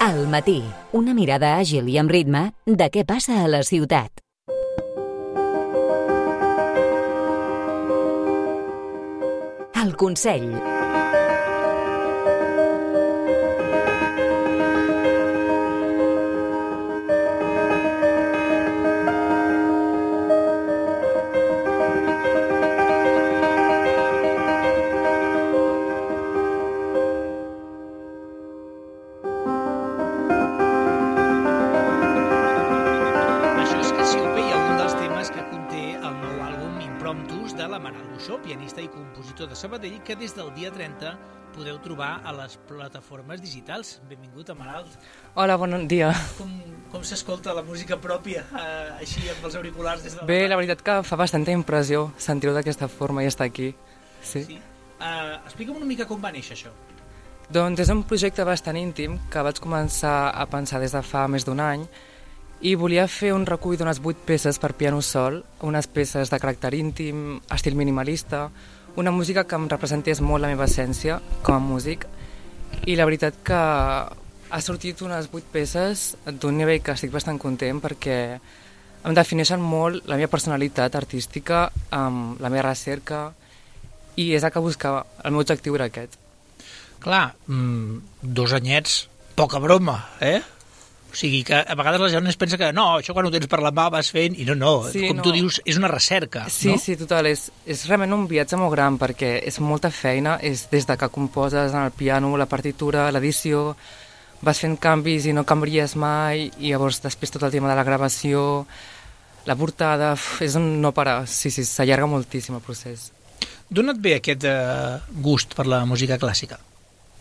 Al matí, una mirada àgil i amb ritme de què passa a la ciutat. El Consell. Pianista i compositor de Sabadell, que des del dia 30 podeu trobar a les plataformes digitals. Benvingut, Amaral. Hola, bon dia. Com s'escolta la música pròpia, així amb els auriculars des de Bé, la veritat que fa bastanta impressió sentir-ho d'aquesta forma i estar aquí. Sí. Explica'm una mica com va néixer això. Doncs és un projecte bastant íntim que vaig començar a pensar des de fa més d'un any i volia fer un recull d'unes 8 peces per piano sol, unes peces de caràcter íntim, estil minimalista, una música que em representés molt la meva essència com a músic, i la veritat que ha sortit unes 8 peces d'un nivell que estic bastant content perquè em defineixen molt la meva personalitat artística, la meva recerca, i és el que buscava. El meu objectiu era aquest. Clar, 2 anyets, poca broma, eh? O sigui que a vegades la gent es pensa que no, això quan ho tens per la mà vas fent, i no, sí, com tu dius, és una recerca, sí, no? Sí, total, és realment un viatge molt gran perquè és molta feina, és des de que composes en el piano, la partitura, l'edició, vas fent canvis i no canvies mai, i llavors després tot el tema de la gravació, la portada, és un no parar, sí, s'allarga moltíssim el procés. D'on et ve aquest gust per la música clàssica?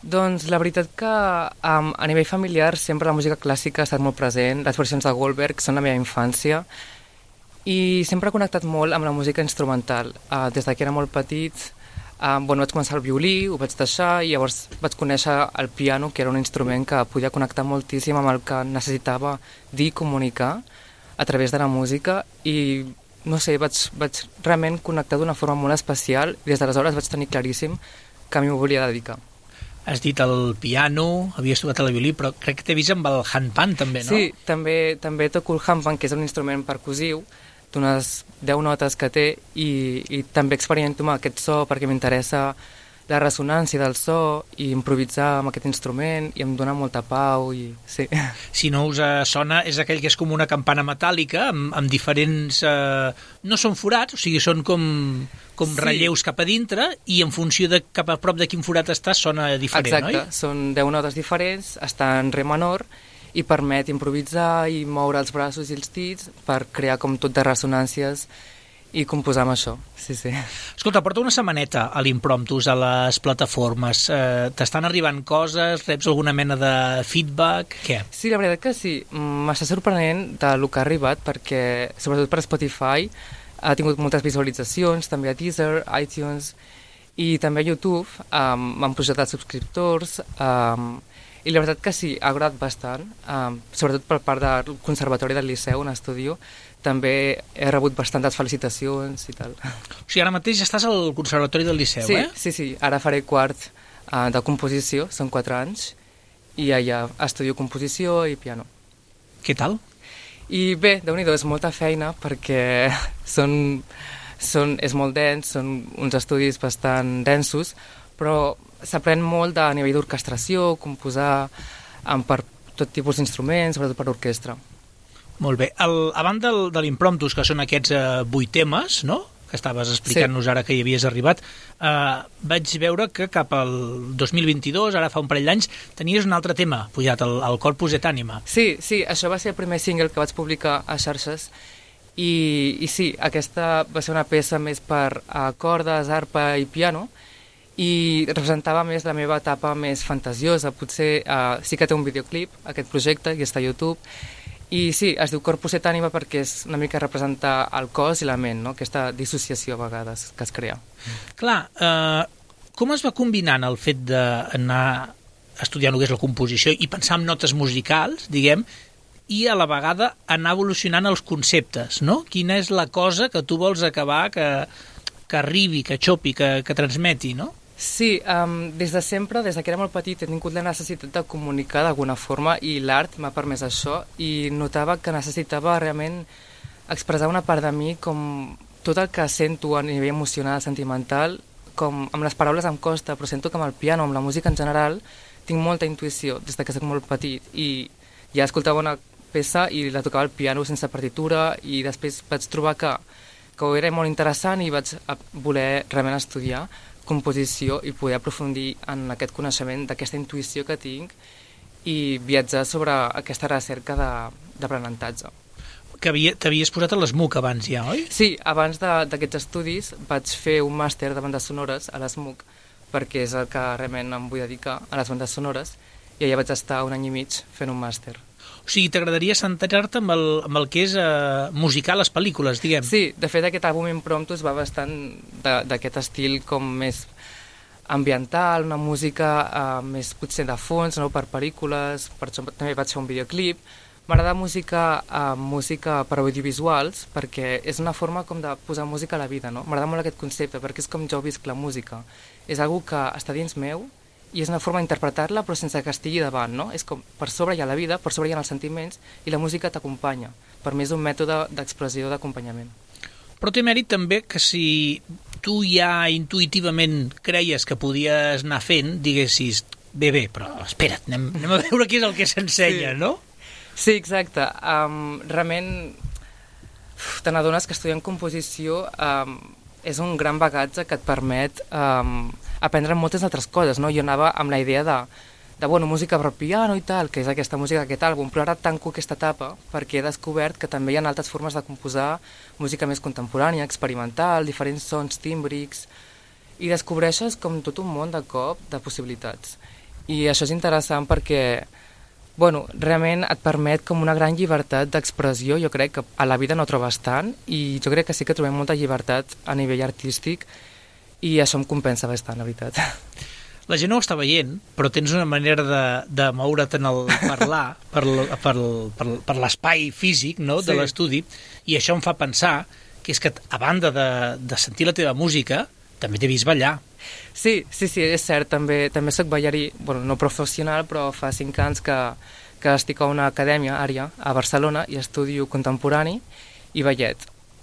Doncs la veritat que a nivell familiar sempre la música clàssica ha estat molt present, les versions de Goldberg són la meva infància i sempre he connectat molt amb la música instrumental. Des que era molt petit vaig començar el violí, ho vaig deixar i llavors vaig conèixer el piano, que era un instrument que podia connectar moltíssim amb el que necessitava dir i comunicar a través de la música i no sé, vaig realment connectar d'una forma molt especial i des d'aleshores vaig tenir claríssim que a mi m'ho volia dedicar. Has dit el piano, havies tocat el violí, però crec que t'he vist amb el handpan també, no? Sí, també toco el handpan, que és un instrument percussiu d'unes 10 notes que té i també experimento amb aquest so perquè m'interessa la ressonància del so i improvisar amb aquest instrument i em dona molta pau i sí. Si no us sona, és aquell que és com una campana metàl·lica amb diferents... no són forats, o sigui, són com sí, relleus cap a dintre i en funció de cap a prop de quin forat estàs sona diferent, exacte, oi? Són 10 notes diferents, està en re menor i permet improvisar i moure els braços i els dits per crear com tot de ressonàncies i composar amb això, sí. Escolta, porta una setmaneta a l'Impromptus, a les plataformes. T'estan arribant coses? Reps alguna mena de feedback? Què? Sí, la veritat que sí. M'està sorprenent del que ha arribat perquè, sobretot per Spotify, ha tingut moltes visualitzacions, també a Deezer, iTunes i també a YouTube. M'han pujat els subscriptors i la veritat que sí, ha agradat bastant, sobretot per part del Conservatori del Liceu, on estudio. També he rebut bastantes felicitacions i tal. O sigui, ara mateix estàs al Conservatori del Liceu, sí, eh? Sí, ara faré quart de composició, són 4 anys, i allà estudio composició i piano. Què tal? I bé, Déu-n'hi-do, és molta feina perquè és molt dens, són uns estudis bastant densos, però s'aprèn molt a nivell d'orquestració, composar per tot tipus d'instruments, sobretot per orquestra. Molt bé. A banda de l'Impromptus, que són aquests 8 temes, no?, que estaves explicant-nos ara que hi havies arribat, vaig veure que cap al 2022, ara fa un parell d'anys, tenies un altre tema pujat, el Corpus et Anima. Sí, això va ser el primer single que vaig publicar a xarxes i sí, aquesta va ser una peça més per cordes, arpa i piano i representava més la meva etapa més fantasiosa. Potser sí que té un videoclip, aquest projecte, i està a YouTube. I sí, es diu Corpus et Anima perquè és una mica representar el cos i la ment, no? Aquesta dissociació a vegades que es crea. Clar, com es va combinant el fet d'anar estudiant el que és la composició i pensar en notes musicals, diguem, i a la vegada anar evolucionant els conceptes, no? Quina és la cosa que tu vols acabar que arribi, que xopi, que transmeti, no? Sí, des de sempre, des que era molt petit, he tingut la necessitat de comunicar d'alguna forma i l'art m'ha permès això i notava que necessitava realment expressar una part de mi com tot el que sento a nivell emocional, sentimental, com amb les paraules em costa, però sento que amb el piano, amb la música en general, tinc molta intuïció des que soc molt petit i ja escoltava una peça i la tocava al piano sense partitura i després vaig trobar que ho era molt interessant i vaig voler realment estudiar composició i poder aprofundir en aquest coneixement d'aquesta intuïció que tinc i viatjar sobre aquesta recerca d'aprenentatge. Que t'havies posat a l'ESMUC abans ja, oi? Sí, abans d'aquests estudis vaig fer un màster de bandes sonores a l'ESMUC perquè és el que realment em vull dedicar a les bandes sonores i allà vaig estar 1 any i mig fent un màster. O sigui, t'agradaria centrar-te amb el que és musicar les pel·lícules, diguem. Sí, de fet aquest àlbum Impromptus va bastant d'aquest estil com més ambiental, una música més potser de fons, no? Per pel·lícules, per això també vaig fer un videoclip. M'agrada música per audiovisuals perquè és una forma com de posar música a la vida, no? M'agrada molt aquest concepte perquè és com jo visc la música. És algo que està dins meu i és una forma d'interpretar-la però sense que estigui davant, no? És com per sobre hi ha la vida, per sobre hi ha els sentiments i la música t'acompanya. Per mi és un mètode d'expressió d'acompanyament. Però té mèrit també que si tu ja intuïtivament creies que podies anar fent, diguessis, bé, però espera't, anem a veure què és el que s'ensenya, sí. No? Sí, exacte. Realment te n'adones que estudiant composició és un gran bagatge que et permet aprendre moltes altres coses, no? Jo anava amb la idea de música per piano i tal, que és aquesta música d'aquest àlbum, però ara tanco aquesta etapa perquè he descobert que també hi ha altres formes de composar música més contemporània, experimental, diferents sons tímbrics, i descobreixes com tot un món de cop de possibilitats. I això és interessant perquè realment et permet com una gran llibertat d'expressió, jo crec que a la vida no trobes tant, i jo crec que sí que trobem molta llibertat a nivell artístic, i això em compensa bastant, la veritat. La gent no ho està veient, però tens una manera de moure't en el parlar per l'espai físic, no?, de l'estudi, i això em fa pensar que és que, a banda de sentir la teva música, també t'he vist ballar. Sí, és cert, també soc ballarí, no professional, però fa 5 anys que estic a una acadèmia, Ària, a Barcelona, i estudio contemporani i ballet.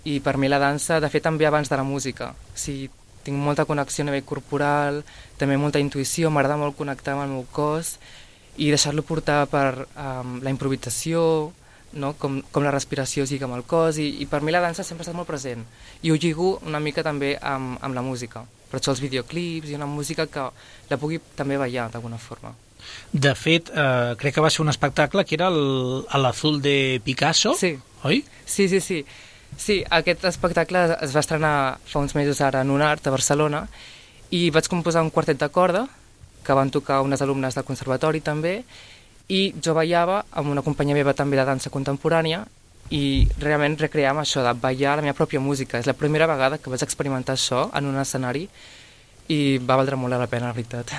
I per mi la dansa, de fet, també abans de la música. Sí, tinc molta connexió a nivell corporal, també molta intuïció, m'agrada molt connectar amb el meu cos i deixar-lo portar per la improvisació, no? Com la respiració sigui amb el cos, i per mi la dansa sempre ha estat molt present. I ho lligo una mica també amb la música. Per això els videoclips i una música que la pugui també ballar d'alguna forma. De fet, crec que va ser un espectacle que era l'Azul de Picasso, sí. Oi? Sí. Sí, aquest espectacle es va estrenar fa uns mesos ara en UNART a Barcelona i vaig composar un quartet de corda que van tocar unes alumnes del conservatori també, i jo ballava amb una companya meva també de dansa contemporània i realment recreàvem això de ballar la meva pròpia música. És la primera vegada que vaig experimentar això en un escenari i va valdre molt la pena, la veritat.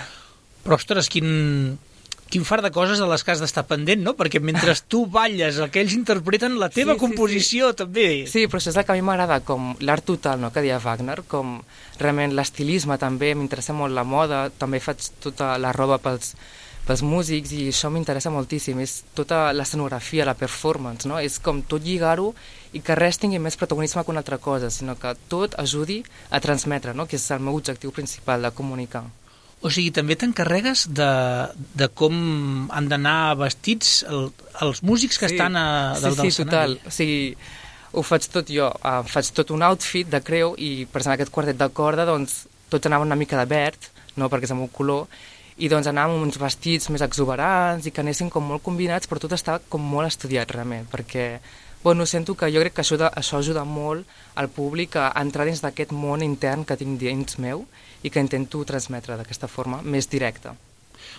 Però, ostres, quin fart de coses de les que has d'estar pendent, no? Perquè mentre tu balles, el que ells interpreten, la teva composició també. Sí, però això és el que a mi m'agrada, com l'art total, no?, que deia Wagner, com realment l'estilisme també, m'interessa molt la moda, també faig tota la roba pels músics i això m'interessa moltíssim, és tota l'escenografia, la performance, no? És com tot lligar-ho i que res tingui més protagonisme que una altra cosa, sinó que tot ajudi a transmetre, no? Que és el meu objectiu principal, de comunicar. O sigui, també t'encarregues de com han d'anar vestits els músics que estan dalt de l'escenari. Sí, total. O sigui, ho faig tot jo. Faig tot un outfit de creu i, per exemple, aquest quartet de corda, doncs, tots anaven una mica de verd, no?, perquè és el meu color, i doncs anàvem amb uns vestits més exuberants i que anessin com molt combinats, però tot estava com molt estudiat realment, perquè sento que jo crec que això ajuda molt al públic a entrar dins d'aquest món intern que tinc dins meu i que intento transmetre d'aquesta forma més directa.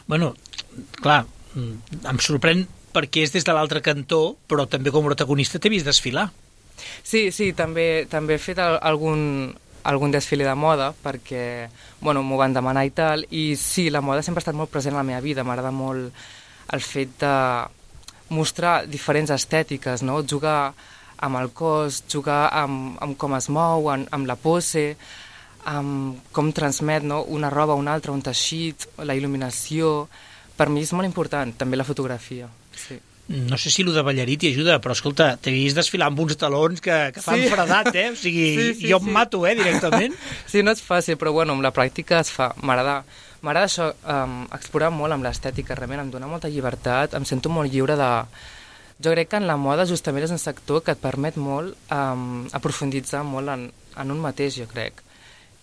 Clar, em sorprèn perquè és des de l'altre cantó, però també com a protagonista t'he vist desfilar. Sí, també he fet algun desfile de moda perquè m'ho van demanar i tal, i sí, la moda sempre ha estat molt present a la meva vida. M'agrada molt el fet de mostrar diferents estètiques, no? Jugar amb el cos, jugar amb com es mou, amb la pose, com transmet, no? Una roba, una altra, un teixit, la il·luminació. Per mi és molt important, també la fotografia. Sí. No sé si el de ballarí t'hi ajuda, però escolta, t'he vist desfilar amb uns talons que fan fredat, O sigui, jo em mato, directament. Sí, no és fàcil, però bueno, amb la pràctica es fa. M'agrada això, explorar molt amb l'estètica, realment em dona molta llibertat, em sento molt lliure de... Jo crec que en la moda justament és un sector que et permet molt aprofunditzar molt en un mateix, jo crec.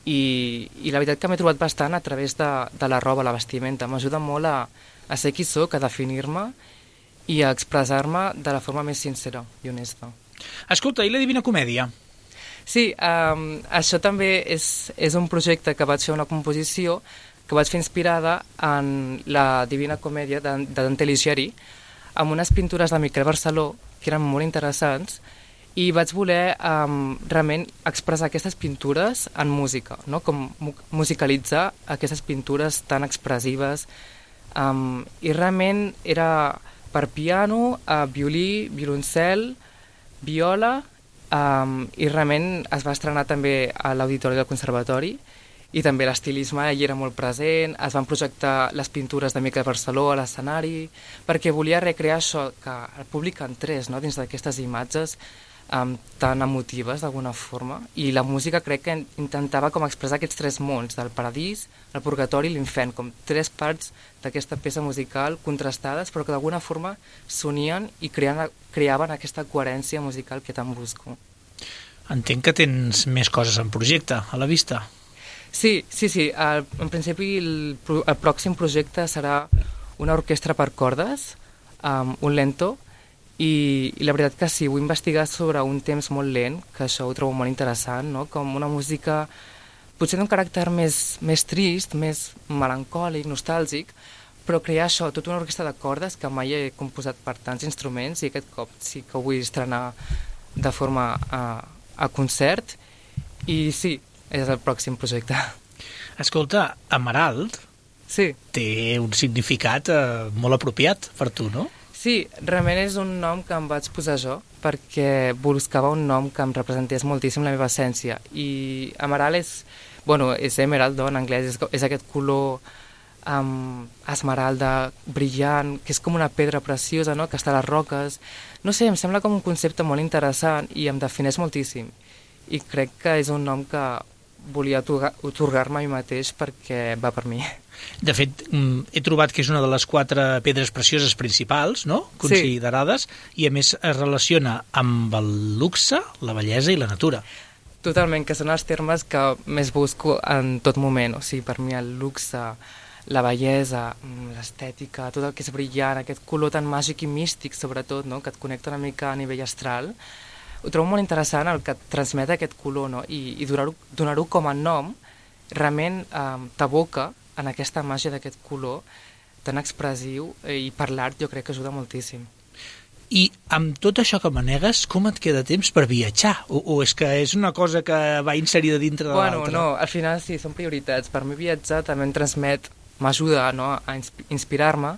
I la veritat que m'he trobat bastant a través de la roba, la vestimenta. M'ajuda molt a ser qui soc, a definir-me i a expressar-me de la forma més sincera i honesta. Escolta, i la Divina Comèdia? Sí, això també és un projecte que vaig fer una composició que vaig fer inspirada en la Divina Comèdia de Dante Alighieri, amb unes pintures de Miquel Barceló que eren molt interessants, i vaig voler realment expressar aquestes pintures en música, no? Com musicalitzar aquestes pintures tan expressives, i realment era per piano, violí, violoncel, viola, i realment es va estrenar també a l'Auditori del Conservatori, i també l'estilisme allà era molt present, es van projectar les pintures de Miquel Barceló a l'escenari, perquè volia recrear això, que el públic entrés, no?, dins d'aquestes imatges tan emotives d'alguna forma, i la música crec que intentava com expressar aquests tres mons, del paradís, el purgatori i l'infern, com tres parts d'aquesta peça musical contrastades, però que d'alguna forma s'unien i creaven aquesta coherència musical que tant busco. Entenc que tens més coses en projecte, a la vista. Sí. En principi el pròxim projecte serà una orquestra per cordes, un lento, i la veritat que sí, vull investigar sobre un temps molt lent, que això ho trobo molt interessant, no? Com una música potser d'un caràcter més trist, més melancòlic, nostàlgic, però crear això, tota una orquestra de cordes que mai he composat per tants instruments, i aquest cop sí que ho vull estrenar de forma a concert, i sí, és el pròxim projecte. Escolta, Emerald té un significat molt apropiat per tu, no? Sí, realment és un nom que em vaig posar jo perquè buscava un nom que em representés moltíssim la meva essència, i Emerald és emerald, en anglès, és aquest color esmeralda, brillant, que és com una pedra preciosa, no?, que està a les roques. No sé, em sembla com un concepte molt interessant i em defineix moltíssim, i crec que és un nom que volia otorgar-me a mi mateix perquè va per mi. De fet, he trobat que és una de les 4 pedres precioses principals, no?, considerades, i a més es relaciona amb el luxe, la bellesa i la natura. Totalment, que són els termes que més busco en tot moment. O sigui, per mi el luxe, la bellesa, l'estètica, tot el que és brillant, aquest color tan màgic i místic, sobretot, no?, que et connecta una mica a nivell astral, ho trobo molt interessant el que transmet aquest color, no?, i donar-ho com a nom realment t'aboca en aquesta màgia d'aquest color tan expressiu, i per l'art jo crec que ajuda moltíssim. I amb tot això que manegues, com et queda temps per viatjar? O és que és una cosa que va inserida dintre de l'altra? No, al final sí, són prioritats. Per mi viatjar també em transmet, m'ajuda, no?, a inspirar-me,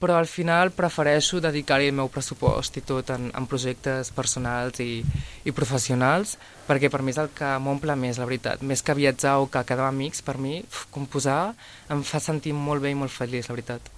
però al final prefereixo dedicar-hi el meu pressupost i tot en projectes personals i professionals, perquè per mi és el que m'omple més, la veritat. Més que viatjar o que quedar amics, per mi composar em fa sentir molt bé i molt feliç, la veritat.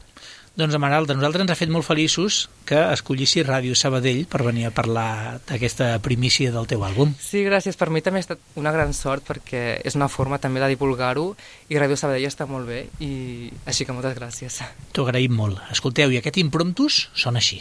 Doncs, Emerald, a nosaltres ens ha fet molt feliços que escollissis Ràdio Sabadell per venir a parlar d'aquesta primícia del teu àlbum. Sí, gràcies. Per mi també ha estat una gran sort, perquè és una forma també de divulgar-ho, i Ràdio Sabadell està molt bé, i així que moltes gràcies. T'ho agraïm molt. Escolteu, i aquest Impromptus sona així.